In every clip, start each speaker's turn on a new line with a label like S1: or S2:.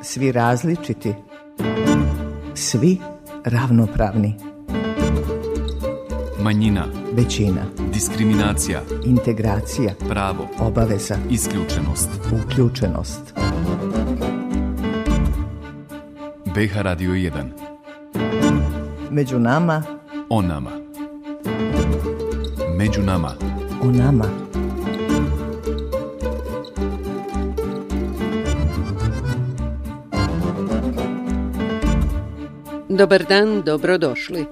S1: Svi različiti, svi ravnopravni.
S2: Manjina,
S1: većina,
S2: diskriminacija,
S1: integracija,
S2: pravo,
S1: obaveza,
S2: isključenost,
S1: uključenost.
S2: BiH Radio 1.
S1: Među nama,
S2: o nama. Među nama,
S1: o nama.
S3: Dobar dan, dobrodošli.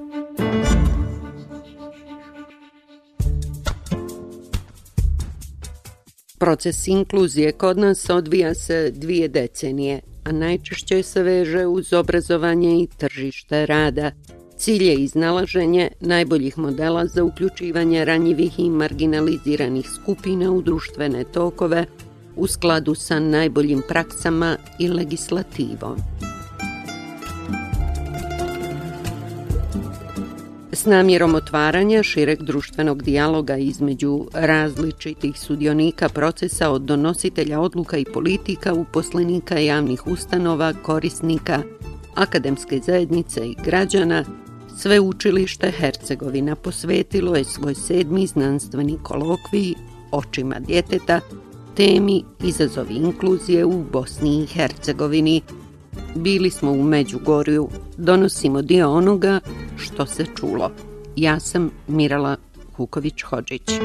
S3: Proces inkluzije kod nas odvija se 2 decenije, a najčešće se veže uz obrazovanje i tržište rada. Cilj je iznalaženje najboljih modela za uključivanje ranjivih i marginaliziranih skupina u društvene tokove u skladu sa najboljim praksama i legislativom. S namjerom otvaranja šireg društvenog dijaloga između različitih sudionika procesa od donositelja odluka i politika, uposlenika javnih ustanova, korisnika, akademske zajednice i građana, Sveučilište Hercegovina posvetilo je svoj 7. znanstveni kolokvij Očima djeteta temi Izazovi inkluzije u Bosni i Hercegovini. Bili smo u Međugorju, donosimo dio onoga što se čulo. Ja sam Mirala Kuković-Hodžić.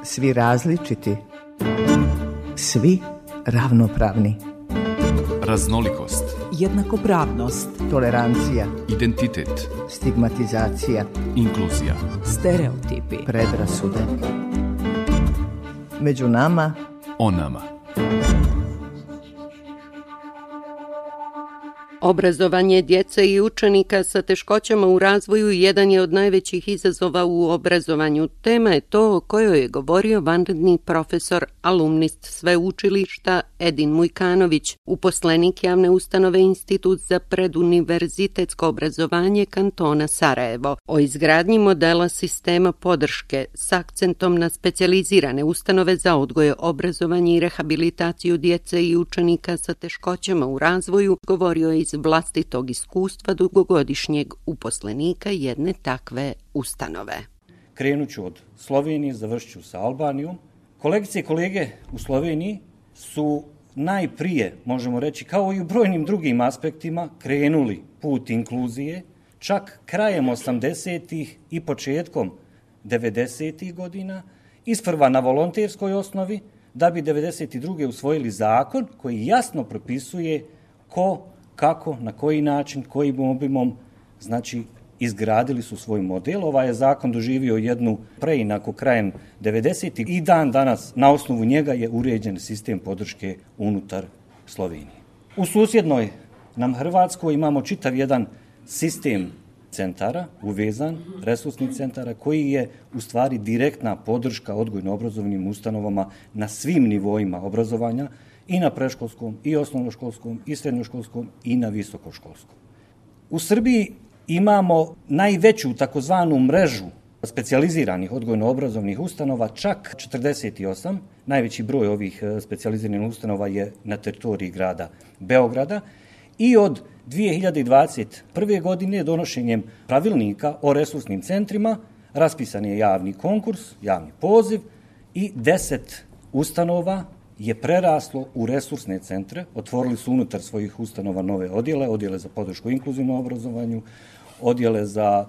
S1: Svi različiti, svi ravnopravni.
S2: Raznolikost,
S4: jednakopravnost,
S1: Tolerancija,
S2: identitet,
S1: stigmatizacija,
S2: inkluzija,
S4: stereotipi,
S1: predrasude. Među nama,
S2: o nama.
S3: Obrazovanje djece i učenika sa teškoćama u razvoju jedan je od najvećih izazova u obrazovanju. Tema je to o kojoj je govorio vanredni profesor, alumnist sveučilišta Edin Mujkanović, uposlenik javne ustanove Institut za preduniverzitetsko obrazovanje kantona Sarajevo, o izgradnji modela sistema podrške s akcentom na specijalizirane ustanove za odgoj, obrazovanje i rehabilitaciju djece i učenika sa teškoćama u razvoju, govorio je iz vlastitog iskustva dugogodišnjeg uposlenika jedne takve ustanove.
S5: Krenut ću od Slovenije, završit ću sa Albanijom. Kolegice i kolege u Sloveniji su najprije, možemo reći, kao i u brojnim drugim aspektima, krenuli put inkluzije, čak krajem 80-ih i početkom 90-ih godina, isprva na volonterskoj osnovi, da bi 92. usvojili zakon koji jasno propisuje ko, kako, na koji način, kojim obimom, znači izgradili su svoj model. Ovaj je zakon doživio jednu preinaku krajem 90. i dan danas na osnovu njega je uređen sistem podrške unutar Slovenije. U susjednoj nam Hrvatskoj imamo čitav jedan sistem centara, uvezan, resursnih centara, koji je u stvari direktna podrška odgojno-obrazovnim ustanovama na svim nivoima obrazovanja, i na predškolskom, i osnovnoškolskom, i srednjoškolskom, i na visokoškolskom. U Srbiji imamo najveću takozvanu mrežu specijaliziranih odgojno-obrazovnih ustanova, čak 48. Najveći broj ovih specijaliziranih ustanova je na teritoriji grada Beograda i od 2021. godine donošenjem pravilnika o resursnim centrima raspisan je javni konkurs, javni poziv i 10 ustanova je preraslo u resursne centre, otvorili su unutar svojih ustanova nove odjele za podršku inkluzivnom obrazovanju, odjele za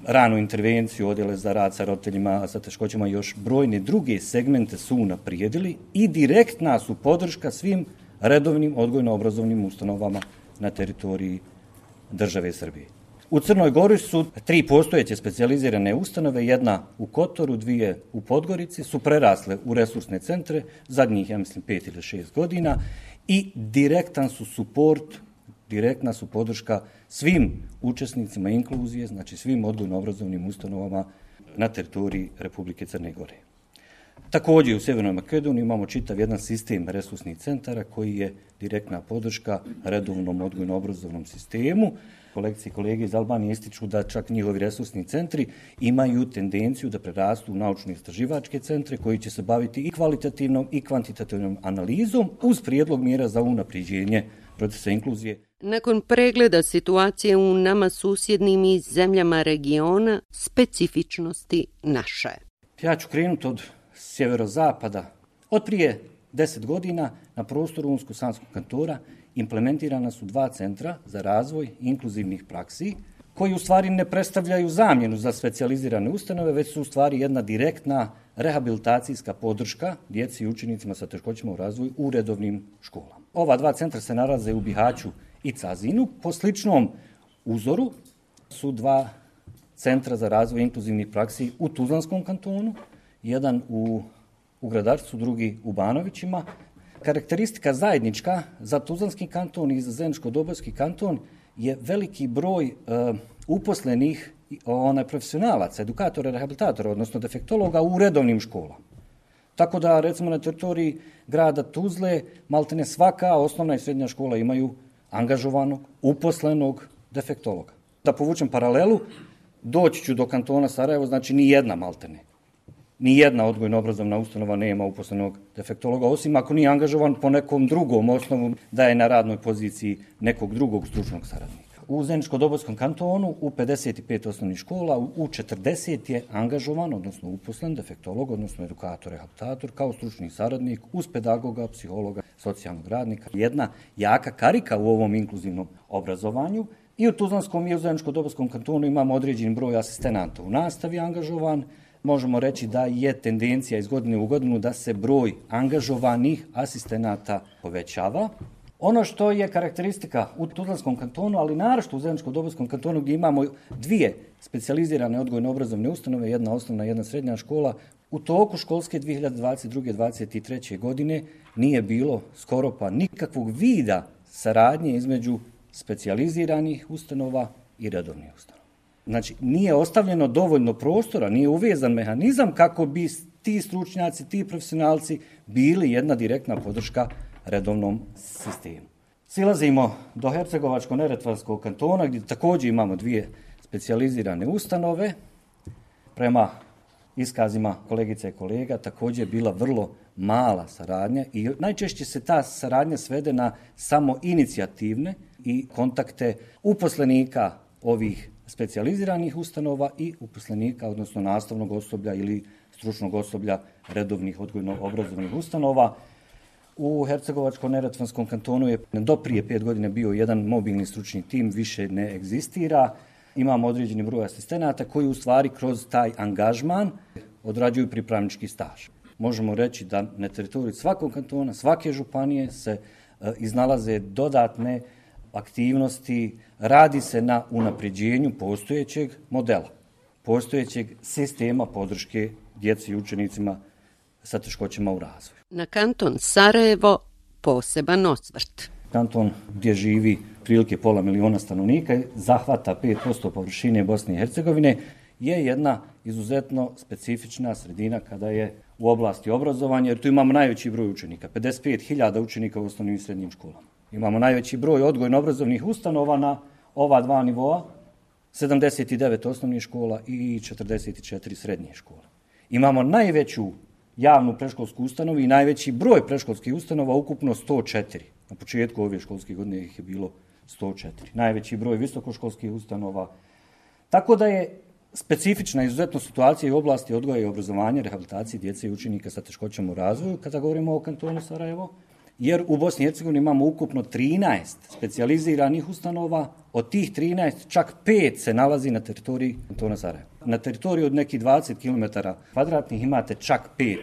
S5: ranu intervenciju, odjele za rad sa roditeljima sa teškoćama i još brojne druge segmente su unaprijedili i direktna su podrška svim redovnim odgojno-obrazovnim ustanovama na teritoriji države Srbije. U Crnoj Gori su 3 postojeće specijalizirane ustanove, jedna u Kotoru, 2 u Podgorici, su prerasle u resursne centre, zadnjih, ja mislim, 5 ili 6 godina i direktan su suport, direktna su podrška svim učesnicima inkluzije, znači svim odgojno-obrazovnim ustanovama na teritoriji Republike Crne Gore. Također u Sjevernoj Makedoniji imamo čitav jedan sistem resursnih centara koji je direktna podrška redovnom odgojno-obrazovnom sistemu. Kolegice i kolege iz Albanije ističu da čak njihovi resursni centri imaju tendenciju da prerastu u naučno-istraživačke centre koji će se baviti i kvalitativnom i kvantitativnom analizom uz prijedlog mjera za unapređenje procesa inkluzije.
S3: Nakon pregleda situacije u nama susjednim i zemljama regiona, specifičnosti naše.
S5: Ja ću krenuti od sjeverozapada. Od prije 10 godina na prostoru Unsko-Sanskog kantona implementirana su 2 centra za razvoj inkluzivnih praksi, koji u stvari ne predstavljaju zamjenu za specijalizirane ustanove, već su u stvari jedna direktna rehabilitacijska podrška djeci i učenicima sa teškoćama u razvoju u redovnim školama. Ova 2 centra se nalaze u Bihaću i Cazinu. Po sličnom uzoru su 2 centra za razvoj inkluzivnih praksi u Tuzlanskom kantonu, jedan u Gradarcu, drugi u Banovićima. Karakteristika zajednička za Tuzlanski kanton i za Zeničko-Dobojski kanton je veliki broj uposlenih profesionalaca, edukatora, rehabilitatora, odnosno defektologa u redovnim školama. Tako da, recimo, na teritoriji grada Tuzle, maltene svaka osnovna i srednja škola imaju angažovanog, uposlenog defektologa. Da povučem paralelu, doći ću do kantona Sarajevo, znači ni jedna odgojno-obrazovna ustanova nema uposlenog defektologa, osim ako nije angažovan po nekom drugom osnovu da je na radnoj poziciji nekog drugog stručnog saradnika. U Zeničko-Dobojskom kantonu u 55 osnovnih škola u 40 je angažovan, odnosno uposlen defektolog, odnosno edukator, rehabilitator kao stručni saradnik uz pedagoga, psihologa, socijalnog radnika. Jedna jaka karika u ovom inkluzivnom obrazovanju. I u Tuzlanskom i u Zeničko-Dobojskom kantonu imamo određen broj asistenata u nastavi angažovan. Možemo reći da je tendencija iz godine u godinu da se broj angažovanih asistenata povećava. Ono što je karakteristika u Tuzlanskom kantonu, ali naročito u Zeničko-Dobojskom kantonu gdje imamo 2 specijalizirane odgojno-obrazovne ustanove, jedna osnovna i jedna srednja škola, u toku školske 2022-2023. godine nije bilo skoro pa nikakvog vida saradnje između specijaliziranih ustanova i redovnih ustanova. Znači, nije ostavljeno dovoljno prostora, nije uvezan mehanizam kako bi ti stručnjaci, ti profesionalci bili jedna direktna podrška redovnom sistemu. Silazimo do Hercegovačko-neretvanskog kantona gdje također imamo 2 specijalizirane ustanove. Prema iskazima kolegica i kolega također je bila vrlo mala saradnja i najčešće se ta saradnja svede na samo inicijativne i kontakte uposlenika ovih specijaliziranih ustanova i uposlenika, odnosno nastavnog osoblja ili stručnog osoblja redovnih odgojno-obrazovnih ustanova. U Hercegovačko-neretvanskom kantonu je do prije 5 godina bio jedan mobilni stručni tim, više ne egzistira. Imamo određeni broj asistenata koji u stvari kroz taj angažman odrađuju pripravnički staž. Možemo reći da na teritoriju svakog kantona, svake županije se iznalaze dodatne aktivnosti, radi se na unapređenju postojećeg modela, postojećeg sistema podrške djeci i učenicima sa teškoćama u razvoju.
S3: Na kanton Sarajevo poseban osvrt.
S5: Kanton gdje živi prilike 500.000 stanovnika, zahvata 5% površine Bosne i Hercegovine, je jedna izuzetno specifična sredina kada je u oblasti obrazovanja, jer tu imamo najveći broj učenika, 55.000 učenika u osnovnim i srednjim školama. Imamo najveći broj odgojno-obrazovnih ustanova na ova 2 nivoa, 79 osnovnih škola i 44 srednje škole. Imamo najveću javnu predškolsku ustanovu i najveći broj predškolskih ustanova, ukupno 104. Na početku ove školske godine ih je bilo 104. Najveći broj visokoškolskih ustanova. Tako da je specifična izuzetno situacija u oblasti odgoja i obrazovanja, rehabilitacije djece i učenika sa teškoćama u razvoju, kada govorimo o kantonu Sarajevo, jer u Bosni i Hercegovini imamo ukupno 13 specijaliziranih ustanova, od tih 13 čak 5 se nalazi na teritoriji kantona Sarajevo. Na teritoriji od nekih 20 km kvadratnih imate čak 5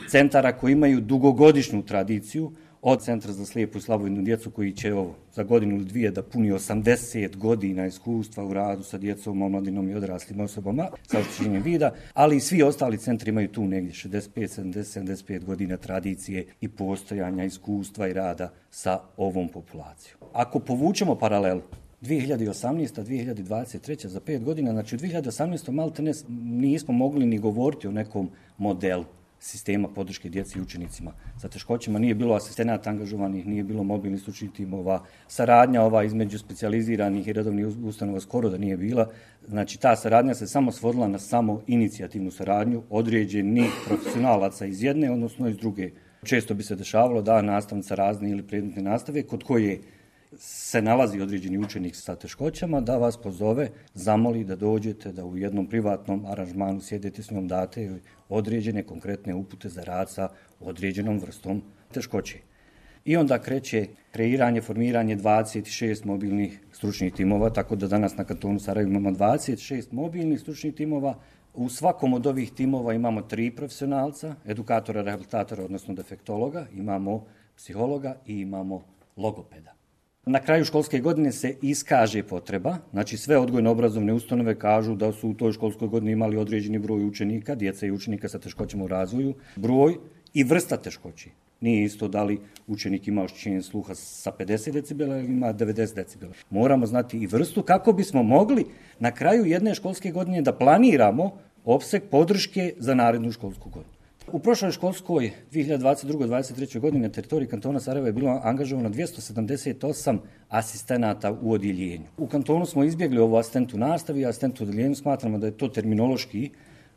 S5: centara koji imaju dugogodišnju tradiciju, od Centra za slijepu i slabovidnu djecu koji će za godinu ili 2 da puni 80 godina iskustva u radu sa djecom, omladinom i odraslim osobama sa oštećenjem vida, ali i svi ostali centri imaju tu negdje 65 godina tradicije i postojanja iskustva i rada sa ovom populacijom. Ako povučemo paralelu 2018. 2023. za 5 godina, znači u 2018. maltene nismo mogli ni govoriti o nekom modelu sistema podrške djeci i učenicima sa teškoćama. Nije bilo asistenata angažovanih, nije bilo mobilnih stručnih timova, saradnja ova između specijaliziranih i redovnih ustanova skoro da nije bila. Znači ta saradnja se samo svodila na samo inicijativnu saradnju određenih profesionalaca iz jedne, odnosno iz druge. Često bi se dešavalo da nastavnica razne ili predmetne nastave kod koje se nalazi određeni učenik sa teškoćama, da vas pozove, zamoli da dođete, da u jednom privatnom aranžmanu sjedete s njom, date određene konkretne upute za rad sa određenom vrstom teškoće. I onda kreće kreiranje, formiranje 26 mobilnih stručnih timova, tako da danas na kantonu Sarajevo imamo 26 mobilnih stručnih timova. U svakom od ovih timova imamo 3 profesionalca, edukatora, rehabilitatora, odnosno defektologa, imamo psihologa i imamo logopeda. Na kraju školske godine se iskaže potreba, znači sve odgojno-obrazovne ustanove kažu da su u toj školskoj godini imali određeni broj učenika, djece i učenika sa teškoćama u razvoju, broj i vrsta teškoći. Nije isto da li učenik ima oštećenje sluha sa 50 decibela ili ima 90 decibela. Moramo znati i vrstu kako bismo mogli na kraju jedne školske godine da planiramo opseg podrške za narednu školsku godinu. U prošloj školskoj 2022-2023. godini na teritoriji kantona Sarajeva je bilo angažovano 278 asistenata u odjeljenju. U kantonu smo izbjegli ovo asistent u nastavi, asistent u odjeljenju smatramo da je to terminološki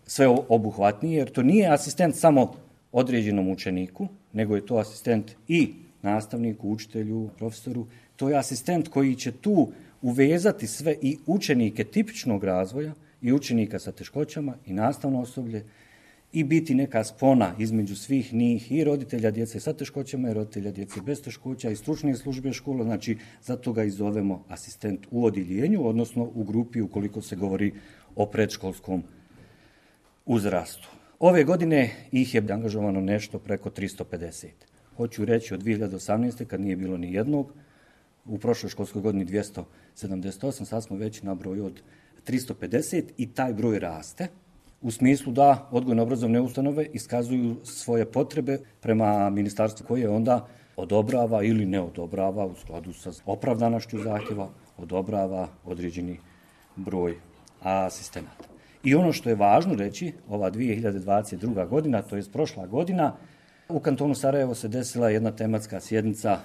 S5: sve obuhvatnije, jer to nije asistent samo određenom učeniku, nego je to asistent i nastavniku, učitelju, profesoru. To je asistent koji će tu uvezati sve i učenike tipičnog razvoja i učenika sa teškoćama i nastavno osoblje i biti neka spona između svih njih i roditelja djece sa teškoćama i roditelja djece bez teškoća i stručne službe škola, znači zato ga i zovemo asistent u odjeljenju, odnosno u grupi ukoliko se govori o predškolskom uzrastu. Ove godine ih je angažovano nešto preko 350. Hoću reći od 2018. kad nije bilo ni jednog, u prošloj školskoj godini 278, sad smo već na broju od 350 i taj broj raste. U smislu da odgojno-obrazovne ustanove iskazuju svoje potrebe prema ministarstvu koje onda odobrava ili ne odobrava u skladu sa opravdanošću zahtjeva, odobrava određeni broj asistenata. I ono što je važno reći, ova 2022. godina, to je prošla godina, u kantonu Sarajevo se desila jedna tematska sjednica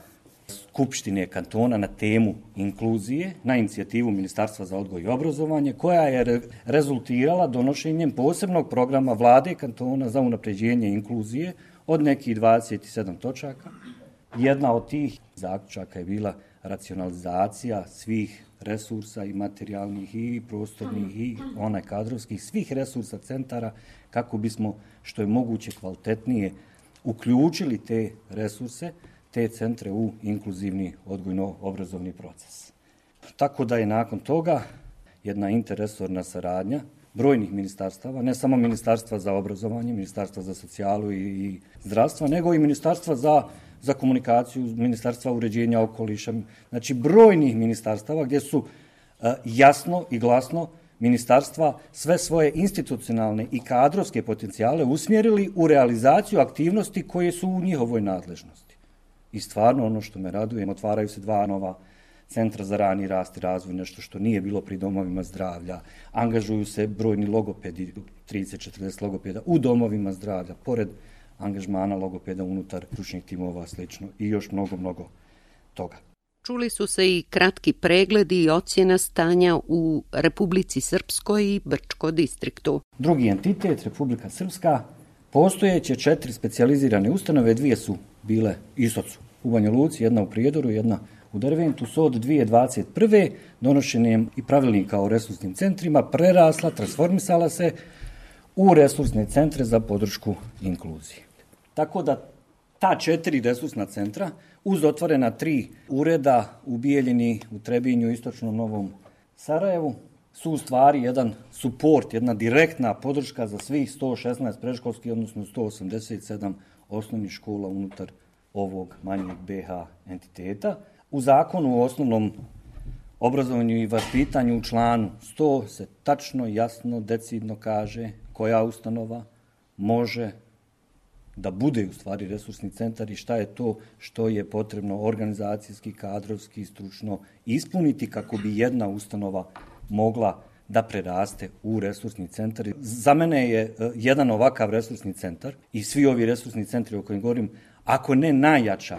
S5: Skupštine kantona na temu inkluzije na inicijativu Ministarstva za odgoj i obrazovanje, koja je rezultirala donošenjem posebnog programa vlade kantona za unapređenje inkluzije od nekih 27 točaka. Jedna od tih zaključaka je bila racionalizacija svih resursa i materijalnih i prostornih i kadrovskih, svih resursa centara kako bismo što je moguće kvalitetnije uključili te resurse, te centre u inkluzivni odgojno-obrazovni proces. Tako da je nakon toga jedna interresorna saradnja brojnih ministarstava, ne samo Ministarstva za obrazovanje, Ministarstva za socijalu i zdravstva, nego i Ministarstva za komunikaciju, Ministarstva uređenja okoliša, znači brojnih ministarstava gdje su jasno i glasno ministarstva sve svoje institucionalne i kadrovske potencijale usmjerili u realizaciju aktivnosti koje su u njihovoj nadležnosti. I stvarno ono što me raduje, otvaraju se 2 nova centra za rani rast i razvoj, nešto što nije bilo pri domovima zdravlja, angažuju se brojni logopedi, 30-40 logopeda u domovima zdravlja, pored angažmana logopeda unutar stručnih timova, slično i još mnogo toga.
S3: Čuli su se i kratki pregledi i ocjena stanja u Republici Srpskoj i Brčko distriktu.
S5: Drugi entitet, Republika Srpska, postojeće 4 specijalizirane ustanove, 2 su bile Istocu u Banja Luci, jedna u Prijedoru, jedna u Derventu, su od 2021. donošenjem i pravilnika o resursnim centrima prerasla, transformisala se u resursne centre za podršku inkluziji. Tako da ta 4 resursna centra uz otvorena 3 ureda u Bijeljini, u Trebinju, Istočnom Novom Sarajevu su u stvari jedan suport, jedna direktna podrška za svih 116 predškolskih, odnosno 187 osnovnih škola unutar ovog manjeg BH entiteta. U zakonu o osnovnom obrazovanju i vaspitanju u članu 100 se tačno, jasno, decidno kaže koja ustanova može da bude u stvari resursni centar i šta je to što je potrebno organizacijski, kadrovski, stručno ispuniti kako bi jedna ustanova mogla da preraste u resursni centar. Za mene je jedan ovakav resursni centar i svi ovi resursni centri o kojim govorim, ako ne najjača,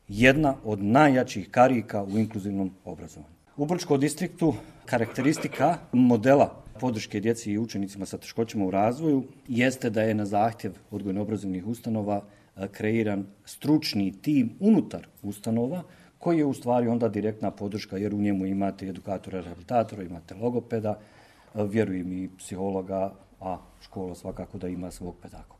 S5: jedna od najjačih karika u inkluzivnom obrazovanju. U Brčkom distriktu karakteristika modela podrške djeci i učenicima sa teškoćama u razvoju jeste da je na zahtjev odgojno-obrazovnih ustanova kreiran stručni tim unutar ustanova koji je u stvari onda direktna podrška jer u njemu imate edukatora, rehabilitatora, imate logopeda, vjerujem i psihologa, a škola svakako da ima svog pedagoga.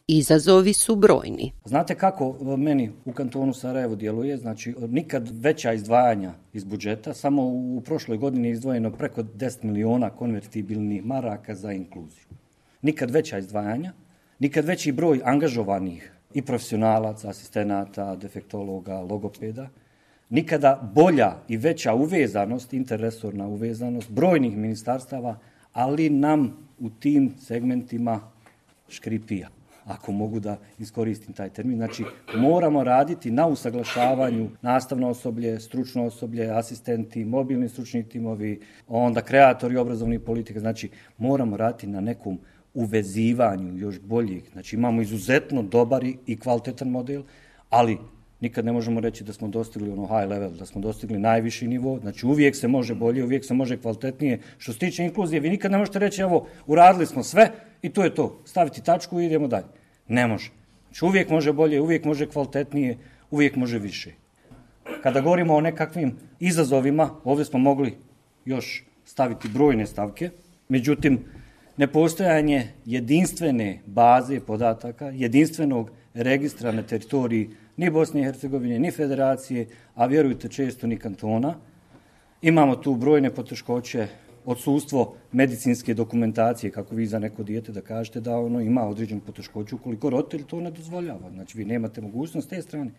S3: Izazovi su brojni.
S5: Znate kako meni u kantonu Sarajevo djeluje? Znači, nikad veća izdvajanja iz budžeta, samo u prošloj godini je izdvojeno preko 10 miliona konvertibilnih maraka za inkluziju. Nikad veća izdvajanja, nikad veći broj angažovanih i profesionalaca, asistenata, defektologa, logopeda, nikada bolja i veća uvezanost, interresorna uvezanost brojnih ministarstava, ali nam u tim segmentima škripija, ako mogu da iskoristim taj termin. Znači, moramo raditi na usaglašavanju nastavno osoblje, stručno osoblje, asistenti, mobilni stručni timovi, onda kreatori obrazovnih politika. Znači, moramo raditi na nekom uvezivanju još boljih. Znači, imamo izuzetno dobar i kvalitetan model, ali nikad ne možemo reći da smo dostigli ono high level, da smo dostigli najviši nivo. Znači, uvijek se može bolje, uvijek se može kvalitetnije. Što se tiče inkluzije, vi nikad ne možete reći, evo, uradili smo sve i to je to. Staviti tačku i idemo dalje. Ne može. Znači, uvijek može bolje, uvijek može kvalitetnije, uvijek može više. Kada govorimo o nekakvim izazovima, ovdje smo mogli još staviti brojne stavke, međutim, nepostojanje jedinstvene baze podataka, jedinstvenog registra na teritoriji ni Bosne i Hercegovine, ni federacije, a vjerujte često ni kantona. Imamo tu brojne poteškoće, odsustvo medicinske dokumentacije, kako vi za neko dijete da kažete da ono ima određenu poteškoću ukoliko roditelj to ne dozvoljava. Znači, vi nemate mogućnost te strane,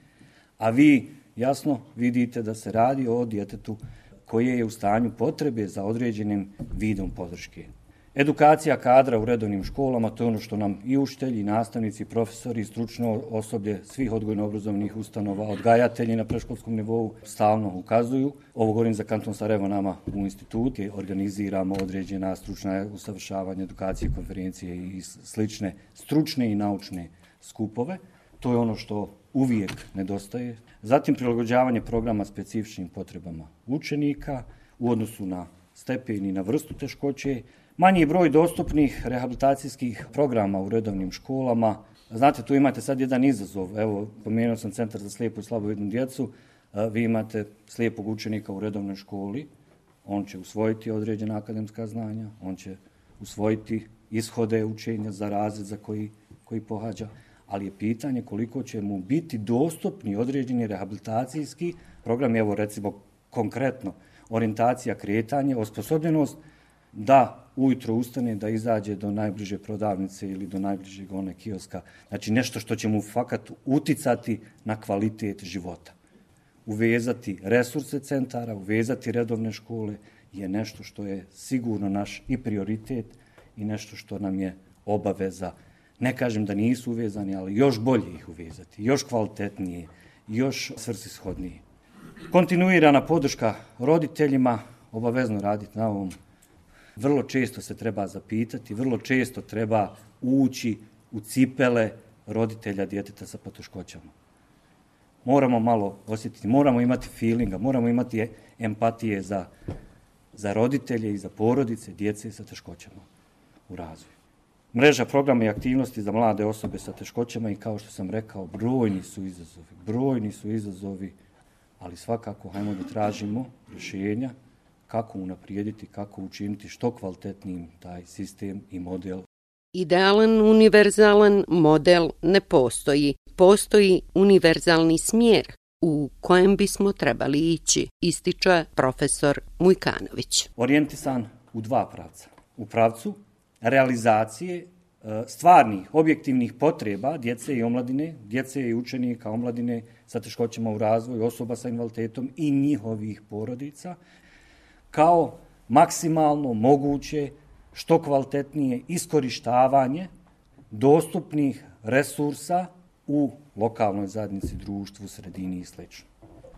S5: a vi jasno vidite da se radi o djetetu koje je u stanju potrebe za određenim vidom podrške. Edukacija kadra u redovnim školama, to je ono što nam i učitelji, i nastavnici, i profesori, i stručno osoblje svih odgojno-obrazovnih ustanova, odgajatelji na predškolskom nivou stalno ukazuju. Ovo govorim za kanton Sarajevo, nama u institutu organiziramo određena stručna usavršavanja, edukacije, konferencije i slične stručne i naučne skupove. To je ono što uvijek nedostaje. Zatim prilagođavanje programa specifičnim potrebama učenika u odnosu na stepen i na vrstu teškoće, manji broj dostupnih rehabilitacijskih programa u redovnim školama. Znate, tu imate sad jedan izazov. Evo, pomenuo sam Centar za slijepu i slabovidnu djecu. Vi imate slijepog učenika u redovnoj školi. On će usvojiti određena akademska znanja, on će usvojiti ishode učenja za razred za koji pohađa, ali je pitanje koliko će mu biti dostupni određeni rehabilitacijski program. Evo, recimo, konkretno, orijentacija, kretanje, osposobljenost da ujutro ustane, da izađe do najbliže prodavnice ili do najbližeg kioska. Znači, nešto što će mu fakat uticati na kvalitet života. Uvezati resurse centara, uvezati redovne škole je nešto što je sigurno naš i prioritet i nešto što nam je obaveza. Ne kažem da nisu uvezani, ali još bolje ih uvezati, još kvalitetnije, još svrsishodnije. Kontinuirana podrška roditeljima, obavezno raditi na ovom. Vrlo često se treba zapitati, vrlo često treba ući u cipele roditelja djeteta sa poteškoćama. Moramo malo osjetiti, moramo imati feelinga, moramo imati empatije za roditelje i za porodice djece sa teškoćama u razvoju. Mreža programa i aktivnosti za mlade osobe sa teškoćama i kao što sam rekao, brojni su izazovi, ali svakako hajmo da tražimo rješenja kako unaprijediti, kako učiniti što kvalitetnijim taj sistem i model.
S3: Idealan univerzalan model ne postoji. Postoji univerzalni smjer u kojem bismo trebali ići, ističe profesor Mujkanović.
S5: Orijentisan u dva pravca. U pravcu realizacije stvarnih, objektivnih potreba djece i omladine, djece i učenika, omladine sa teškoćama u razvoju, osoba sa invaliditetom i njihovih porodica, kao maksimalno moguće, što kvalitetnije iskorištavanje dostupnih resursa u lokalnoj zajednici, društvu, sredini i sl.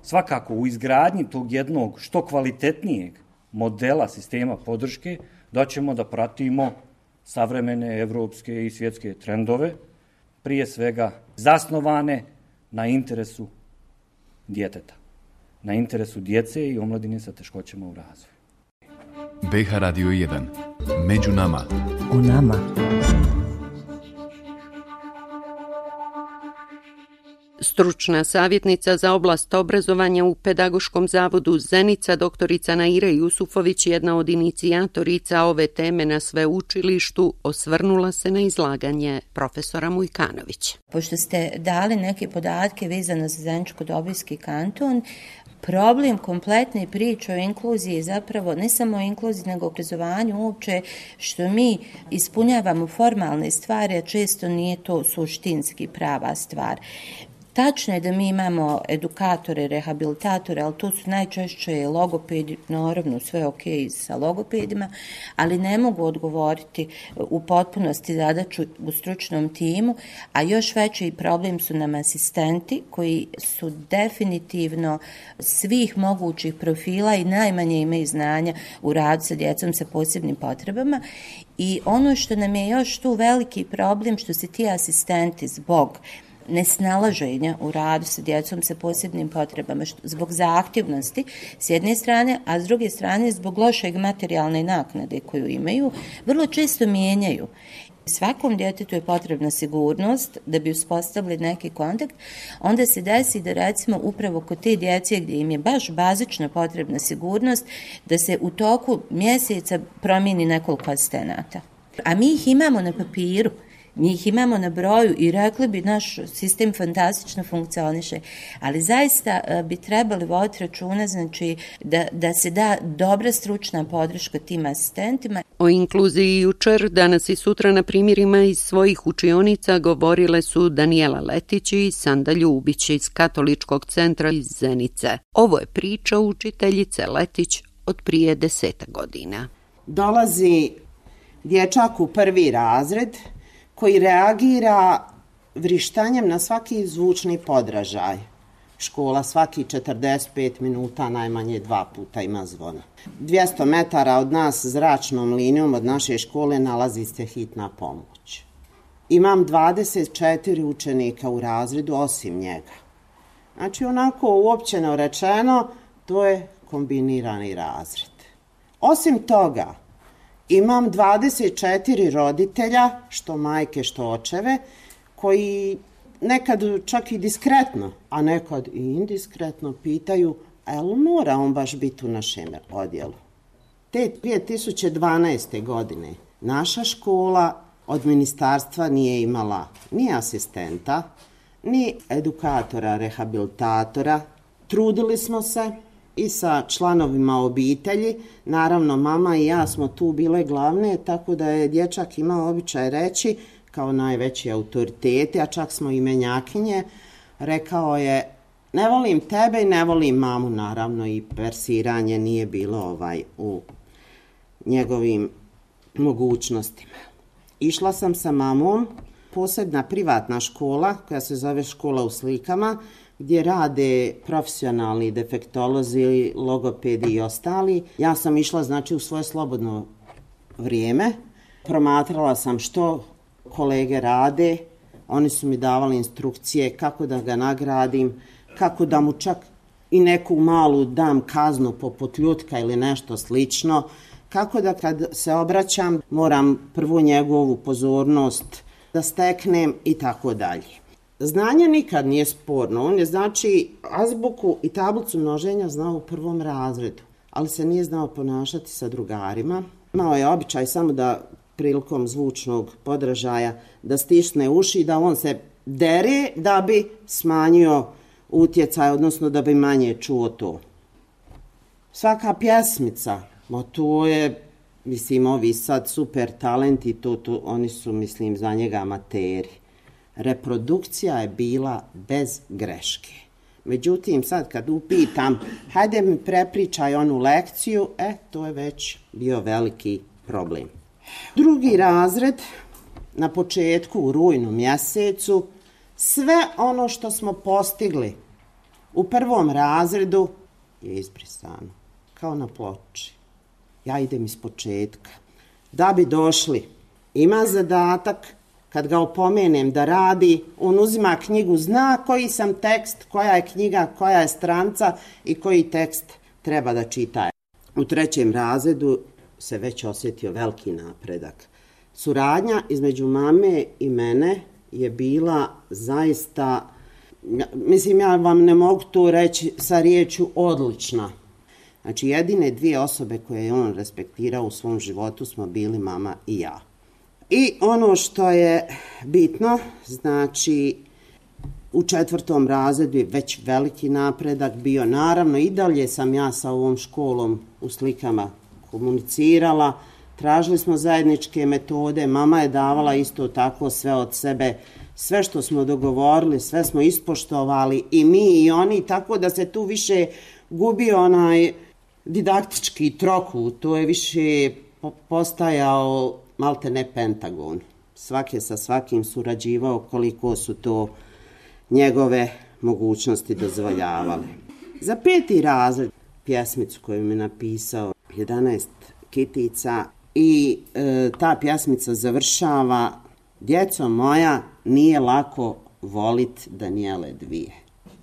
S5: Svakako u izgradnji tog jednog što kvalitetnijeg modela sistema podrške doćemo da pratimo savremene evropske i svjetske trendove, prije svega zasnovane na interesu djeteta, na interesu djece i omladine sa teškoćama u razvoju.
S2: BH Radio 1. Među nama.
S1: U nama.
S3: Stručna savjetnica za oblast obrazovanja u Pedagoškom zavodu Zenica, doktorica Naira Jusufović, jedna od inicijatorica ove teme na sveučilištu, osvrnula se na izlaganje profesora Mujkanovića.
S6: Pošto ste dali neke podatke vezano za Zeničko-Dobojski kanton, problem kompletne priče o inkluziji je zapravo ne samo o inkluziji, nego o obrazovanju uopće, što mi ispunjavamo formalne stvari, a često nije to suštinski prava stvar. Tačno je da mi imamo edukatore, rehabilitatore, ali to su najčešće logopedi, naravno sve ok sa logopedima, ali ne mogu odgovoriti u potpunosti zadaću u stručnom timu, a još veći problem su nam asistenti koji su definitivno svih mogućih profila i najmanje imaju znanja u radu sa djecom sa posebnim potrebama. I ono što nam je još tu veliki problem, što se ti asistenti zbog nesnalaženja u radu sa djecom sa posebnim potrebama, zbog zahtjevnosti s jedne strane, a s druge strane zbog lošeg materijalne naknade koju imaju, vrlo često mijenjaju. Svakom djetetu je potrebna sigurnost da bi uspostavili neki kontakt, onda se desi da recimo upravo kod te djece gdje im je baš bazično potrebna sigurnost, da se u toku mjeseca promijeni nekoliko asistenata. A mi ih imamo na papiru, mi ih imamo na broju i rekli bi naš sistem fantastično funkcioniše, ali zaista bi trebali voditi računa, znači da se da dobra stručna podrška tim asistentima.
S3: O inkluziji jučer, danas i sutra na primjerima iz svojih učionica govorile su Danijela Letić i Sanda Ljubić iz Katoličkog centra iz Zenice. Ovo je priča učiteljice Letić od prije 10 godina.
S7: Dolazi dječak u 1. razred koji reagira vrištanjem na svaki zvučni podražaj. Škola svaki 45 minuta najmanje 2 puta ima zvona. 200 metara od nas zračnom linijom od naše škole nalazi se hitna pomoć. Imam 24 učenika u razredu osim njega. Znači onako uopćeno rečeno, to je kombinirani razred. Osim toga, imam 24 roditelja, što majke, što očeve, koji nekad čak i diskretno, a nekad i indiskretno pitaju, a jel mora on baš biti u našem odjelu? Te 2012. godine naša škola od ministarstva nije imala ni asistenta, ni edukatora, rehabilitatora. Trudili smo se i sa članovima obitelji, naravno mama i ja smo tu bile glavne, tako da je dječak imao običaj reći, kao najveći autoriteti, a čak smo i menjakinje, rekao je, ne volim tebe i ne volim mamu, naravno i persiranje nije bilo u njegovim mogućnostima. Išla sam sa mamom, posebna privatna škola, koja se zove Škola u slikama, gdje rade profesionalni defektolozi, logopedi i ostali. Ja sam išla znači u svoje slobodno vrijeme, promatrala sam što kolege rade, oni su mi davali instrukcije kako da ga nagradim, kako da mu čak i neku malu dam kaznu poput ljutka ili nešto slično, kako da kad se obraćam moram prvo njegovu pozornost da steknem i tako dalje. Znanje nikad nije sporno, on je znači azbuku i tablicu množenja znao u 1. razredu, ali se nije znao ponašati sa drugarima. Imao je običaj samo da prilikom zvučnog podražaja da stisne uši, da on se dere da bi smanjio utjecaj, odnosno da bi manje čuo to. Svaka pjesmica, to je, mislim, ovi sad super talenti, to oni su, mislim, za njega amateri. Reprodukcija je bila bez greške. Međutim, sad kad upitam, hajde mi prepričaj onu lekciju, to je već bio veliki problem. 2. razred, na početku u rujnu mjesecu, Sve ono što smo postigli u prvom razredu je izbrisano, kao na ploči. Ja idem iz početka. Da bi došli, ima zadatak, kad ga opomenem da radi, on uzima knjigu, zna koji sam tekst, koja je knjiga, koja je stranca i koji tekst treba da čita. U 3. razredu se već osjetio veliki napredak. Suradnja između mame i mene je bila zaista, mislim, ja vam ne mogu to reći sa riječju odlična. Znači, jedine 2 osobe koje je on respektirao u svom životu smo bili mama i ja. I ono što je bitno, znači, u 4. razredu je već veliki napredak bio. Naravno, i dalje sam ja sa ovom školom u slikama komunicirala. Tražili smo zajedničke metode, mama je davala isto tako sve od sebe. Sve što smo dogovorili, sve smo ispoštovali i mi i oni, tako da se tu više gubio onaj didaktički trokut. To je više postajao malte ne Pentagon. Svak je sa svakim surađivao koliko su to njegove mogućnosti dozvoljavale. Za 5. razred pjesmicu koju mi je napisao 11 kitica i ta pjesmica završava: djeco moja, nije lako volit Danijele dvije.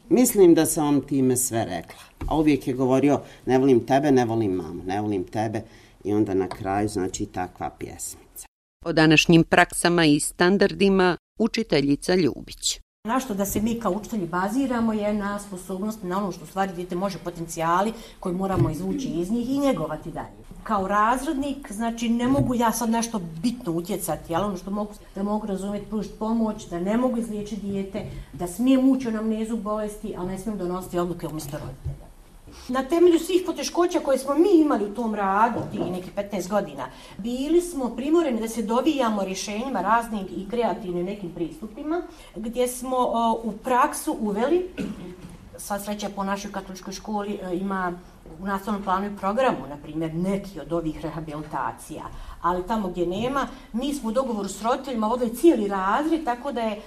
S7: Mislim da sam vam time sve rekla. A uvijek je govorio: ne volim tebe, ne volim mamu, ne volim tebe. I onda na kraju, znači, takva pjesmica.
S3: O današnjim praksama i standardima učiteljica Ljubić.
S8: Na što da se mi kao učitelji baziramo je na sposobnosti, na ono što u stvari dijete može, potencijali koji moramo izvući iz njih i njegovati dalje. Kao razrednik, znači, ne mogu ja sad nešto bitno utjecati, ali ono što mogu, da mogu razumjeti, pružiti pomoć, da ne mogu izliječiti dijete, da smijem ući u anamnezu bolesti, ali ne smijem donositi odluke umjesto roditelja. Na temelju svih poteškoća koje smo mi imali u tom radu, tih nekih 15 godina, bili smo primoreni da se dovijamo rješenjima raznim i kreativnim nekim pristupima, gdje smo u praksu uveli, sva sreća po našoj katoličkoj školi ima u nastavnom planu i programu, na primjer, neki od ovih rehabilitacija, ali tamo gdje nema, mi smo u dogovoru s roditeljima vodili cijeli razred, tako da je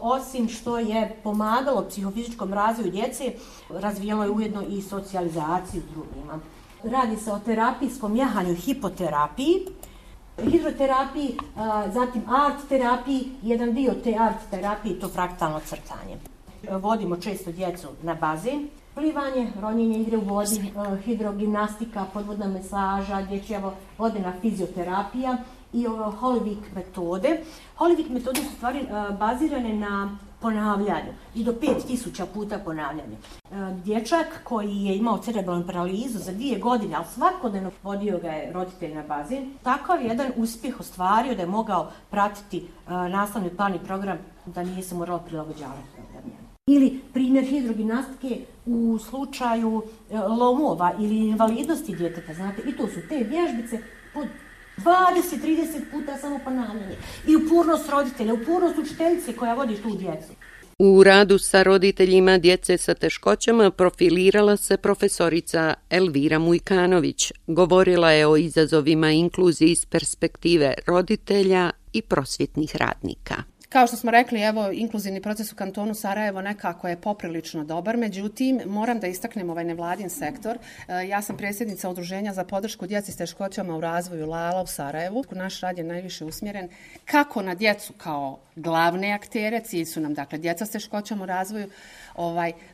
S8: osim što je pomagalo psihofizičkom razvoju djece, razvijalo je ujedno i socijalizaciju drugima. Radi se o terapijskom jahanju i hipoterapiji, hidroterapiji, zatim art terapiji, jedan dio te art terapije, to fraktalno crtanje. Vodimo često djecu na bazen, plivanje, ronjenje, igre u vodi, hidrogimnastika, podvodna masaža, dječja vodena fizioterapija i Holivik metode. Holivik metode su stvari bazirane na ponavljanju i do 5000 puta ponavljanje. Dječak koji je imao cerebralnu paralizu za 2 godine, ali svakodnevno vodio ga je roditelj na bazen, takav jedan uspjeh ostvario da je mogao pratiti nastavni plan i program, da nije se moralo prilagođavati programima. Ili primjer hidrogimnastike u slučaju lomova ili invalidnosti djeteta, znate, i to su te vježbice pod 20-30 puta samo ponavljanje. I upornost roditelja, upornost učiteljice koja vodi tu djecu.
S3: U radu sa roditeljima djece sa teškoćama profilirala se profesorica Elvira Mujkanović. Govorila je o izazovima inkluzije iz perspektive roditelja i prosvjetnih radnika.
S9: Kao što smo rekli, evo, inkluzivni proces u kantonu Sarajevo nekako je poprilično dobar, međutim, moram da istaknem ovaj nevladin sektor. Ja sam predsjednica Udruženja za podršku djeci s teškoćama u razvoju Lala u Sarajevu. Naš rad je najviše usmjeren kako na djecu kao glavne aktere, cilj su nam, dakle, djeca s teškoćama u razvoju,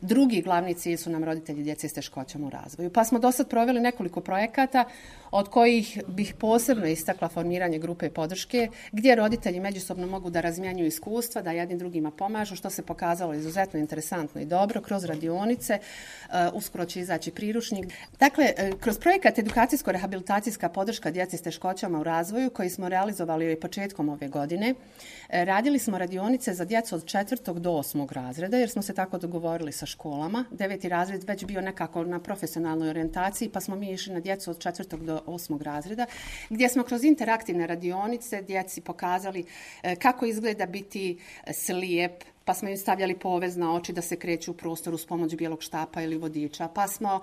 S9: drugi glavni cilj su nam roditelji djece s teškoćama u razvoju. Pa smo do sad proveli nekoliko projekata, od kojih bih posebno istakla formiranje grupe podrške, gdje roditelji međusobno mogu da razmjenjuju iskustva, da jednim drugima pomažu, što se pokazalo izuzetno interesantno i dobro kroz radionice. Uskoro će izaći priručnik. Dakle, kroz projekat edukacijsko-rehabilitacijska podrška djeci s teškoćama u razvoju, koji smo realizovali početkom ove godine, radili smo radionice za djecu od 4. do 8. razreda, jer smo se tako dogovorili sa školama. 9. razred već bio nekako na profesionalnoj orijentaciji, pa smo mi išli na djecu od 4. do 8. razreda, gdje smo kroz interaktivne radionice djeci pokazali kako izgleda biti slijep, pa smo im stavljali povez na oči da se kreću u prostoru s pomoću bijelog štapa ili vodiča, pa smo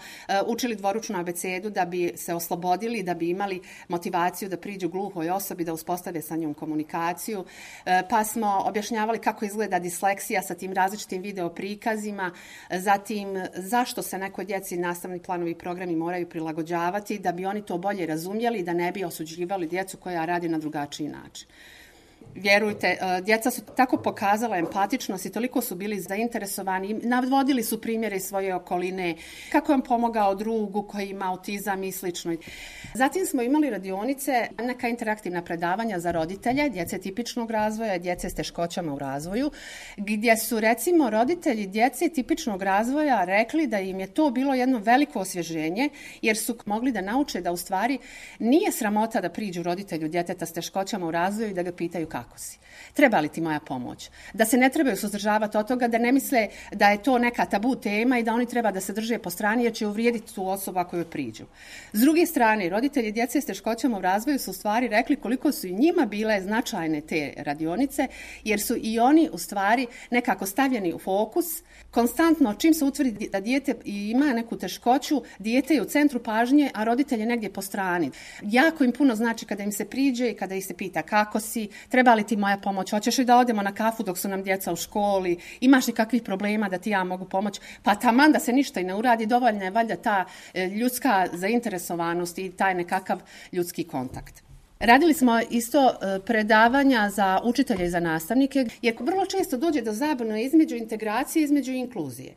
S9: učili dvoručnu abecedu da bi se oslobodili, da bi imali motivaciju da priđu gluhoj osobi, da uspostave sa njom komunikaciju, pa smo objašnjavali kako izgleda disleksija sa tim različitim video prikazima, zatim zašto se nekoj djeci nastavni planovi i programi moraju prilagođavati, da bi oni to bolje razumjeli i da ne bi osuđivali djecu koja radi na drugačiji način. Vjerujte, djeca su tako pokazala empatičnost i toliko su bili zainteresovani, navodili su primjere iz svoje okoline, kako je on pomogao drugu koji ima autizam i slično. Zatim smo imali radionice, neka interaktivna predavanja za roditelje, djece tipičnog razvoja, djece s teškoćama u razvoju, gdje su recimo roditelji djece tipičnog razvoja rekli da im je to bilo jedno veliko osvježenje, jer su mogli da nauče da u stvari nije sramota da priđu roditelju djeteta s teškoćama u razvoju i da ga pitaju kako si. Treba li ti moja pomoć? Da se ne trebaju suzdržavati od toga, da ne misle da je to neka tabu tema i da oni treba da se drže po strani jer će uvrijediti tu osobu ako joj priđu. S druge strane, roditelji djece s teškoćama u razvoju su u stvari rekli koliko su i njima bile značajne te radionice, jer su i oni u stvari nekako stavljeni u fokus. Konstantno, čim se utvrdi da dijete ima neku teškoću, dijete je u centru pažnje, a roditelj je negdje po strani. Jako im puno znači kada im se priđe i kada ih se pita kako si, treba li ti moja pomoć, hoćeš li da odemo na kafu dok su nam djeca u školi, imaš li kakvih problema da ti ja mogu pomoći, pa taman da se ništa i ne uradi, dovoljna je valjda ta ljudska zainteresovanost i taj nekakav ljudski kontakt. Radili smo isto predavanja za učitelje i za nastavnike, jer vrlo često dođe do zabune između integracije i između inkluzije.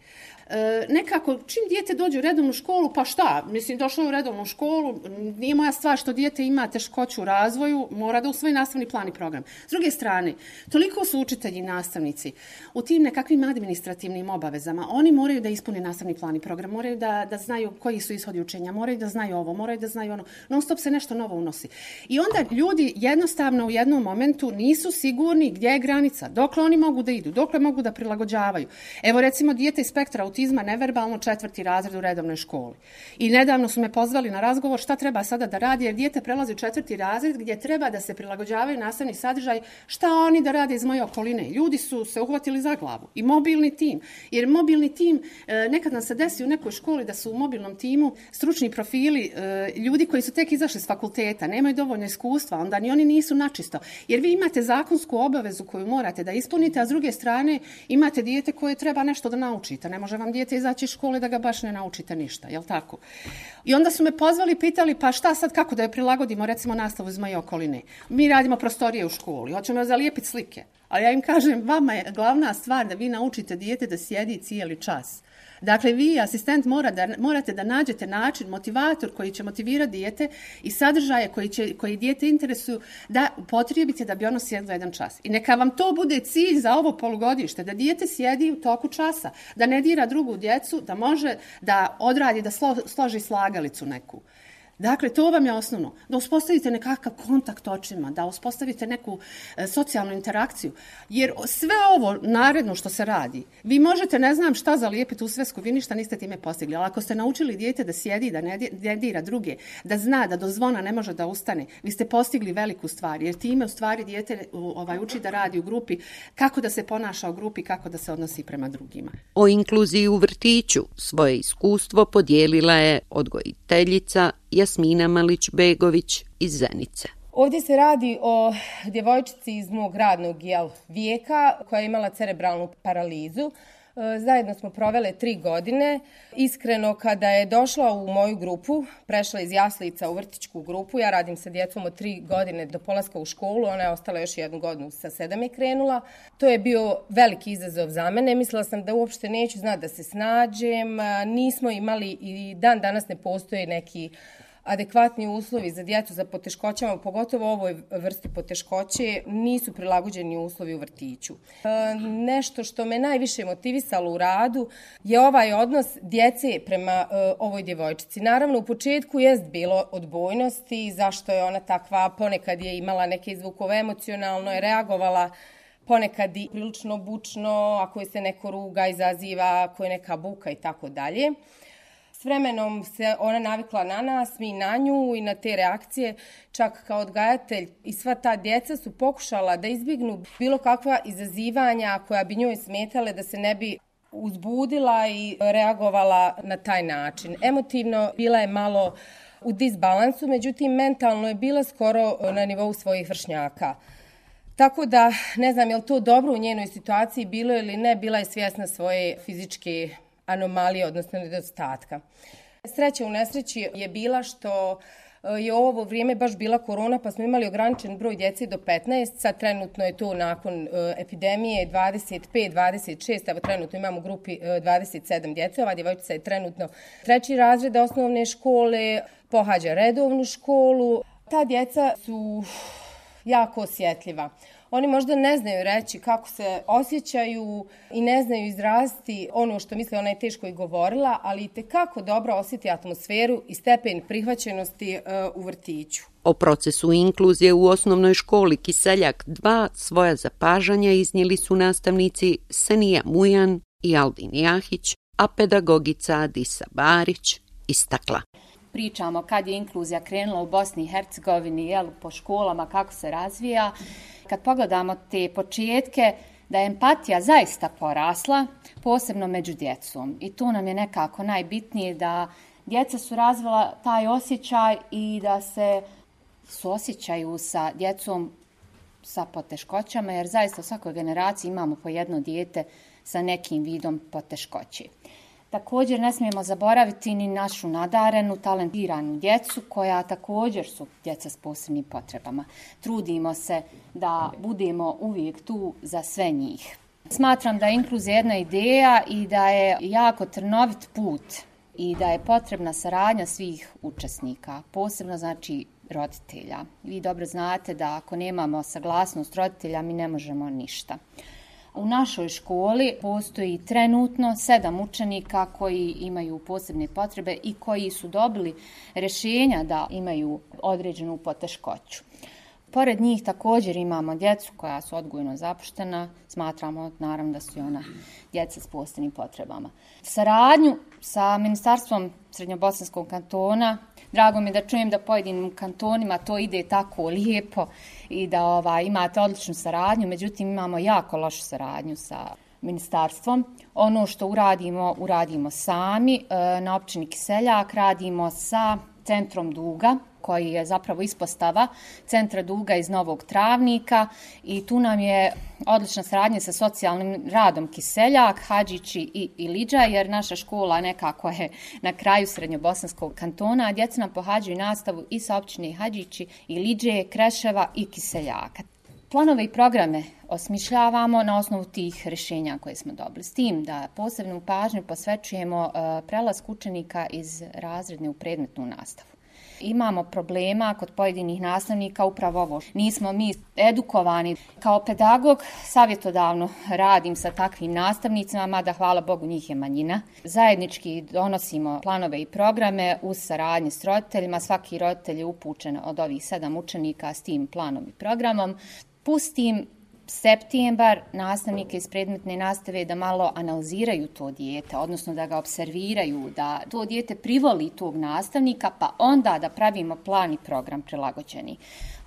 S9: Nekako, čim dijete dođe u redovnu školu, pa šta? Mislim, došlo je u redovnu školu, nije moja stvar što dijete ima teškoću u razvoju, mora da usvoji nastavni plan i program. S druge strane, toliko su učitelji i nastavnici u tim nekakvim administrativnim obavezama. Oni moraju da ispune nastavni plan i program, moraju da znaju koji su ishodi učenja, moraju da znaju ovo, moraju da znaju ono. Non stop se nešto novo unosi. I onda ljudi jednostavno u jednom momentu nisu sigurni gdje je granica, dokle oni mogu da idu, dokle mogu da prilagođavaju. Evo recimo dijete iz spektra autizma neverbalno 4. razred u redovnoj školi. I nedavno su me pozvali na razgovor šta treba sada da radi, jer dijete prelazi u 4. razred gdje treba da se prilagođavaju nastavni sadržaj, šta oni da rade iz moje okoline. Ljudi su se uhvatili za glavu. I mobilni tim. Jer mobilni tim, nekad nam se desi u nekoj školi da su u mobilnom timu stručni profili, ljudi koji su tek izašli s fakulteta, nemaju dovoljno iskustva, onda ni oni nisu načisto. Jer vi imate zakonsku obavezu koju morate da ispunite, a s druge strane imate dijete koje treba nešto da naučite. Ne može vam dijete izaći iz škole da ga baš ne naučite ništa, jel tako? I onda su me pozvali, pitali pa šta sad, kako da je prilagodimo recimo nastavu iz moje okoline. Mi radimo prostorije u školi, hoćemo zalijepiti slike. Ali ja im kažem, vama je glavna stvar da vi naučite dijete da sjedi cijeli čas. Dakle, vi, asistent, morate da nađete način, motivator koji će motivirati dijete i sadržaje koji dijete interesuju da upotrijebite da bi ono sjedlo jedan čas. I neka vam to bude cilj za ovo polugodište, da dijete sjedi u toku časa, da ne dira drugu djecu, da može da odradi, da složi slagalicu neku. Dakle, to vam je osnovno. Da uspostavite nekakav kontakt očima, da uspostavite neku socijalnu interakciju. Jer sve ovo naredno što se radi, vi možete, ne znam šta zalijepiti u svesku, vi ništa niste time postigli. Ali ako ste naučili dijete da sjedi, da ne dira druge, da zna da do zvona ne može da ustane, vi ste postigli veliku stvar. Jer time u stvari dijete uči da radi u grupi, kako da se ponaša u grupi, kako da se odnosi prema drugima.
S3: O inkluziji u vrtiću svoje iskustvo podijelila je odgojiteljica Jasmina Malić-Begović iz Zenice.
S10: Ovdje se radi o djevojčici iz mog radnog vijeka koja je imala cerebralnu paralizu. Zajedno smo provele 3 godine. Iskreno, kada je došla u moju grupu, prešla iz jaslica u vrtićku grupu, ja radim sa djecom od 3 godine do polaska u školu, ona je ostala još 1 godinu, sa 7 je krenula. To je bio veliki izazov za mene. Mislila sam da uopšte neću znati da se snađem. Nismo imali i dan danas ne postoje neki adekvatni uslovi za djecu za poteškoćama, pogotovo ovoj vrsti poteškoće, nisu prilagođeni uslovi u vrtiću. Nešto što me najviše motivisalo u radu je ovaj odnos djece prema ovoj djevojčici. Naravno, u početku jest bilo odbojnosti, zašto je ona takva, ponekad je imala neke zvukove, emocionalno je reagovala, ponekad i prilično bučno, ako je se neko ruga, izaziva, ako je neka buka i tako dalje. S vremenom se ona navikla na nas, mi na nju i na te reakcije. Čak kao odgajatelj i sva ta djeca su pokušala da izbjegnu bilo kakva izazivanja koja bi njoj smetale da se ne bi uzbudila i reagovala na taj način. Emotivno bila je malo u disbalansu, međutim mentalno je bila skoro na nivou svojih vršnjaka. Tako da, ne znam je li to dobro u njenoj situaciji bilo ili ne, bila je svjesna svoje fizičke anomalije, odnosno nedostatka. Sreća u nesreći je bila što je ovo vrijeme baš bila korona, pa smo imali ograničen broj djece do 15, sad trenutno je to nakon epidemije 25, 26, evo trenutno imamo u grupi 27 djece, ova djevojčica je trenutno 3. razred osnovne škole, pohađa redovnu školu. Ta djeca su jako osjetljiva. Oni možda ne znaju reći kako se osjećaju i ne znaju izraziti ono što misle, ona je teško i govorila, ali itekako dobro osjeti atmosferu i stepen prihvaćenosti u vrtiću.
S3: O procesu inkluzije u osnovnoj školi Kiseljak 2 svoja zapažanja iznijeli su nastavnici Senija Mujan i Albin Jahić, a pedagogica Adisa Barić istakla.
S11: Pričamo kad je inkluzija krenula u Bosni i Hercegovini, po školama, kako se razvija. Kad pogledamo te početke, da je empatija zaista porasla, posebno među djecom. I tu nam je nekako najbitnije da djeca su razvila taj osjećaj i da se suosjećaju sa djecom sa poteškoćama, jer zaista u svakoj generaciji imamo po jedno dijete sa nekim vidom poteškoće. Također ne smijemo zaboraviti ni našu nadarenu, talentiranu djecu koja također su djeca s posebnim potrebama. Trudimo se da budemo uvijek tu za sve njih. Smatram da je inkluzija jedna ideja i da je jako trnovit put i da je potrebna saradnja svih učesnika, posebno znači roditelja. Vi dobro znate da ako nemamo saglasnost roditelja mi ne možemo ništa. U našoj školi postoji trenutno 7 učenika koji imaju posebne potrebe i koji su dobili rješenja da imaju određenu poteškoću. Pored njih također imamo djecu koja su odgojno zapuštena, smatramo naravno da su i ona djeca s posebnim potrebama. Saradnju sa Ministarstvom Srednjobosanskog kantona, drago mi je da čujem da pojedinim kantonima to ide tako lijepo i da imate odličnu saradnju, međutim imamo jako lošu saradnju sa ministarstvom. Ono što uradimo sami. Na općini Kiseljak radimo sa Centrom Duga, koji je zapravo ispostava Centra Duga iz Novog Travnika i tu nam je odlična saradnja sa socijalnim radom Kiseljak, Hadžići i Iliđa, jer naša škola nekako je na kraju Srednjobosanskog kantona, a djeca nam pohađaju nastavu i sa općine Hadžići, Iliđe, Kreševa i Kiseljaka. Planove i programe osmišljavamo na osnovu tih rješenja koje smo dobili. S tim da posebnu pažnju posvećujemo prelasku učenika iz razredne u predmetnu nastavu. Imamo problema kod pojedinih nastavnika, upravo ovo. Nismo mi edukovani. Kao pedagog savjetodavno radim sa takvim nastavnicima, mada hvala Bogu njih je manjina. Zajednički donosimo planove i programe uz saradnje s roditeljima. Svaki roditelj je upućen od ovih 7 učenika s tim planom i programom. Pustim septembar nastavnike iz predmetne nastave da malo analiziraju to dijete, odnosno da ga observiraju, da to dijete privoli tog nastavnika, pa onda da pravimo plan i program prilagođeni.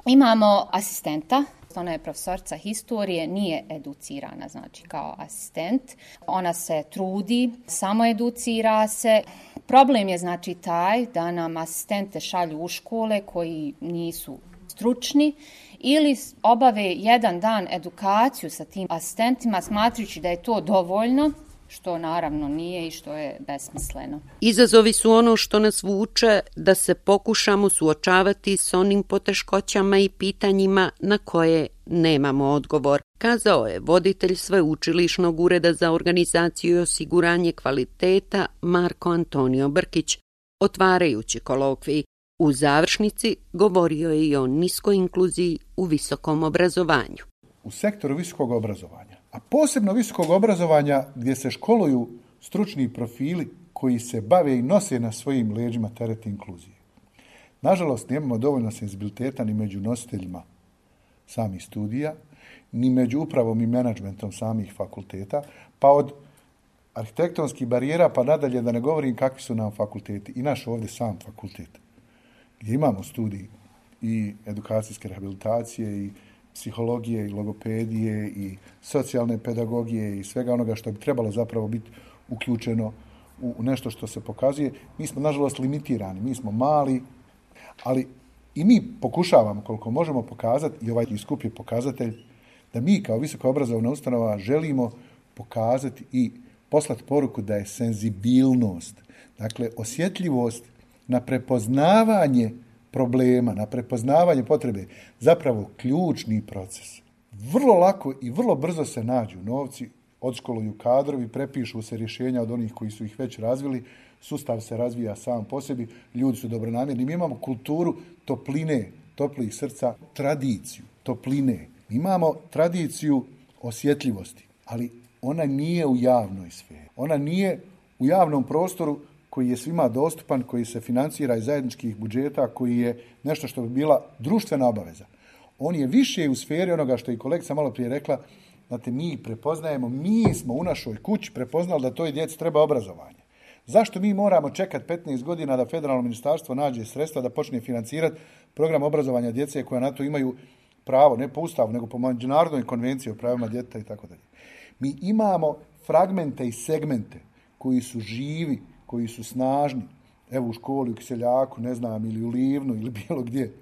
S11: Imamo asistenta, ona je profesorica historije, nije educirana, znači kao asistent. Ona se trudi, samo educira se. Problem je znači taj da nam asistente šalju u škole koji nisu stručni ili obave jedan dan edukaciju sa tim asistentima smatrajući da je to dovoljno, što naravno nije i što je besmisleno.
S3: Izazovi su ono što nas vuče da se pokušamo suočavati s onim poteškoćama i pitanjima na koje nemamo odgovor, kazao je voditelj Sveučilišnog ureda za organizaciju i osiguranje kvaliteta Marko Antonio Brkić, otvarajući kolokvij. U završnici govorio je i o niskoj inkluziji u visokom obrazovanju.
S12: U sektoru visokog obrazovanja, a posebno visokog obrazovanja gdje se školuju stručni profili koji se bave i nose na svojim leđima teret inkluzije. Nažalost, nemamo dovoljno senzibiliteta ni među nositeljima samih studija, ni među upravom i menadžmentom samih fakulteta, pa od arhitektonskih barijera, pa nadalje da ne govorim kakvi su nam fakulteti. I naš ovdje sam fakultet, gdje imamo studij i edukacijske rehabilitacije i psihologije i logopedije i socijalne pedagogije i svega onoga što bi trebalo zapravo biti uključeno u nešto što se pokazuje. Mi smo, nažalost, limitirani, mi smo mali, ali i mi pokušavamo koliko možemo pokazati, i ovaj skup je pokazatelj, da mi kao visoko obrazovna ustanova želimo pokazati i poslati poruku da je senzibilnost, dakle osjetljivost na prepoznavanje problema, na prepoznavanje potrebe, zapravo ključni proces. Vrlo lako i vrlo brzo se nađu novci, odškoluju kadrovi, prepišu se rješenja od onih koji su ih već razvili, sustav se razvija sam po sebi, ljudi su dobronamjerni. Mi imamo kulturu topline, toplih srca, tradiciju topline. Mi imamo tradiciju osjetljivosti, ali ona nije u javnoj sferi. Ona nije u javnom prostoru koji je svima dostupan, koji se financira iz zajedničkih budžeta, koji je nešto što bi bila društvena obaveza. On je više u sferi onoga što je kolegica malo prije rekla, znate, mi prepoznajemo, mi smo u našoj kući prepoznali da toj djeci treba obrazovanje. Zašto mi moramo čekati 15 godina da federalno ministarstvo nađe sredstva da počne financirati program obrazovanja djece koja na to imaju pravo, ne po ustavu, nego po međunarodnoj konvenciji o pravima djeteta i tako dalje. Mi imamo fragmente i segmente koji su živi, koji su snažni. Evo u školi, u Kiseljaku, ne znam, ili u Livnu, ili bilo gdje.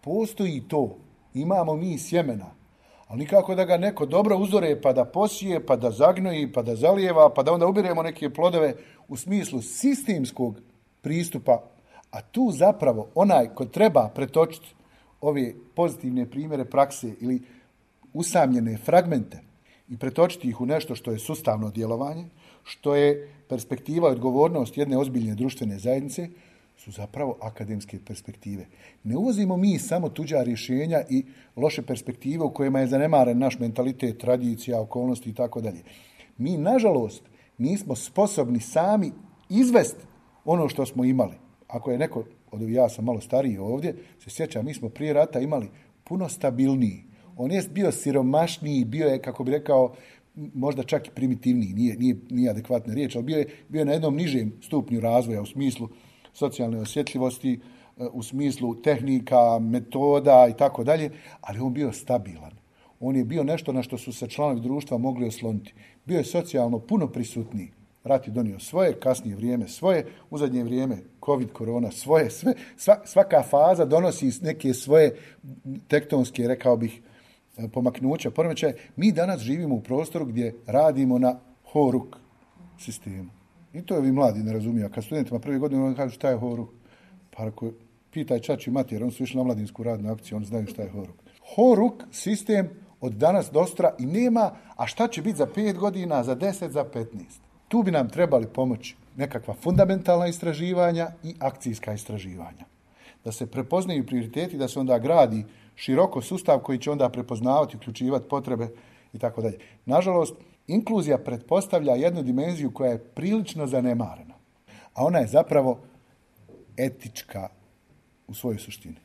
S12: Postoji to. Imamo mi sjemena. Ali nikako da ga neko dobro uzore, pa da posije, pa da zagnoji, pa da zalijeva, pa da onda ubiremo neke plodove u smislu sistemskog pristupa. A tu zapravo onaj ko treba pretočiti ove pozitivne primjere prakse ili usamljene fragmente i pretočiti ih u nešto što je sustavno djelovanje, što je perspektiva i odgovornost jedne ozbiljne društvene zajednice, su zapravo akademske perspektive. Ne uvozimo mi samo tuđa rješenja i loše perspektive u kojima je zanemaren naš mentalitet, tradicija, okolnosti i tako dalje. Mi, nažalost, nismo sposobni sami izvesti ono što smo imali. Ako je neko, ja sam malo stariji ovdje, se sjećam, mi smo prije rata imali puno stabilniji. On je bio siromašniji, bio je, kako bi rekao, možda čak i primitivniji, nije adekvatna riječ, ali bio je na jednom nižem stupnju razvoja u smislu socijalne osjetljivosti, u smislu tehnika, metoda i tako dalje, ali on bio stabilan. On je bio nešto na što su se članovi društva mogli osloniti. Bio je socijalno puno prisutniji. Rat je donio svoje, kasnije vrijeme svoje, u zadnje vrijeme COVID, korona svoje, sve, svaka faza donosi neke svoje tektonske, rekao bih, pomaknuća, poremećaje. Mi danas živimo u prostoru gdje radimo na horuk sistemu. I to vi mladi ne razumiju. A kad studentima prve godine oni kažu šta je horuk, pa ako pitaj čači i mati, jer oni su išli na mladinsku radnu akciju, oni znaju šta je horuk. Horuk sistem od danas do sutra i nema, a šta će biti za 5 godina, za 10, za 15. Tu bi nam trebali pomoći nekakva fundamentalna istraživanja i akcijska istraživanja. Da se prepoznaju prioriteti, da se onda gradi široko sustav koji će onda prepoznavati, uključivati potrebe i tako dalje. Nažalost, inkluzija pretpostavlja jednu dimenziju koja je prilično zanemarena, a ona je zapravo etička u svojoj suštini.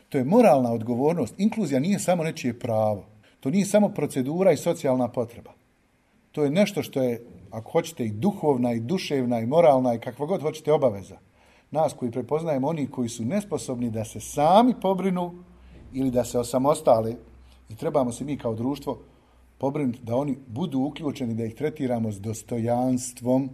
S12: To je moralna odgovornost. Inkluzija nije samo nečije pravo. To nije samo procedura i socijalna potreba. To je nešto što je, ako hoćete, i duhovna, i duševna, i moralna, i kakva god hoćete obaveza. Nas koji prepoznajemo oni koji su nesposobni da se sami pobrinu ili da se osamostale i trebamo se mi kao društvo pobrinuti da oni budu uključeni, da ih tretiramo s dostojanstvom,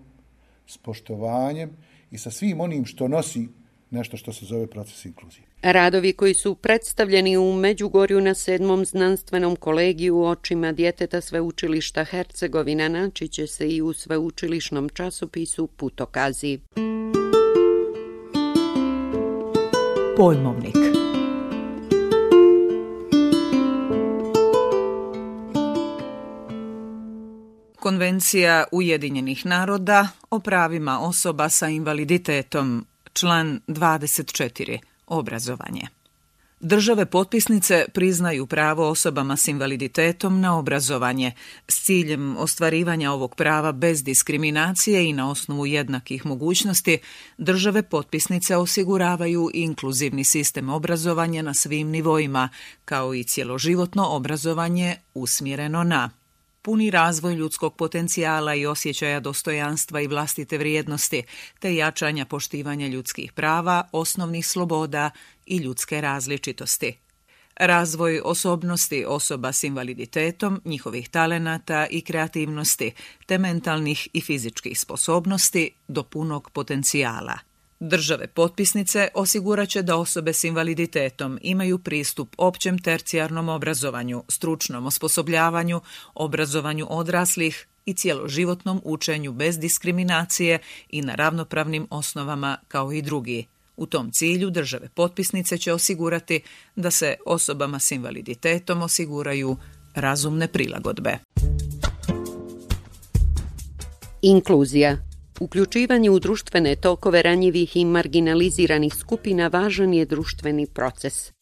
S12: s poštovanjem i sa svim onim što nosi nešto što se zove proces inkluzije.
S3: Radovi koji su predstavljeni u Međugorju na 7. znanstvenom kolegiju očima djeteta Sveučilišta Hercegovina naći će se i u sveučilišnom časopisu Putokazi.
S4: Pojmovnik.
S13: Konvencija Ujedinjenih naroda o pravima osoba sa invaliditetom, član 24. Obrazovanje. Države potpisnice priznaju pravo osobama s invaliditetom na obrazovanje s ciljem ostvarivanja ovog prava bez diskriminacije i na osnovu jednakih mogućnosti. Države potpisnice osiguravaju inkluzivni sistem obrazovanja na svim nivoima, kao i cjeloživotno obrazovanje usmjereno na puni razvoj ljudskog potencijala i osjećaja dostojanstva i vlastite vrijednosti, te jačanja poštivanja ljudskih prava, osnovnih sloboda i ljudske različitosti. Razvoj osobnosti osoba s invaliditetom, njihovih talenata i kreativnosti, te mentalnih i fizičkih sposobnosti do punog potencijala. Države potpisnice osigurat će da osobe s invaliditetom imaju pristup općem tercijarnom obrazovanju, stručnom osposobljavanju, obrazovanju odraslih i cjeloživotnom učenju bez diskriminacije i na ravnopravnim osnovama kao i drugi. U tom cilju države potpisnice će osigurati da se osobama s invaliditetom osiguraju razumne prilagodbe.
S3: Inkluzija. Uključivanje u društvene tokove ranjivih i marginaliziranih skupina važan je društveni proces.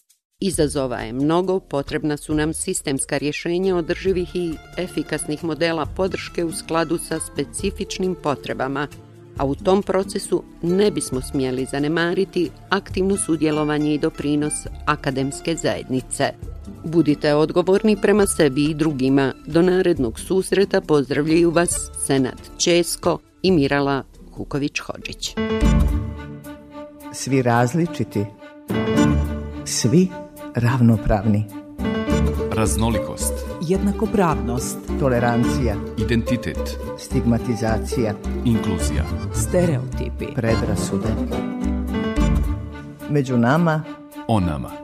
S3: Izazova je mnogo, potrebna su nam sistemska rješenja održivih i efikasnih modela podrške u skladu sa specifičnim potrebama, a u tom procesu ne bismo smjeli zanemariti aktivno sudjelovanje i doprinos akademske zajednice. Budite odgovorni prema sebi i drugima. Do narednog susreta pozdravljaju vas Senad Ćesko i Mirala Kuković-Hodžić.
S1: Svi različiti, svi ravnopravni.
S2: Raznolikost,
S4: Jednakopravnost,
S1: Tolerancija,
S2: identitet,
S1: stigmatizacija,
S2: inkluzija,
S4: stereotipi,
S1: predrasude. Među nama,
S2: o nama.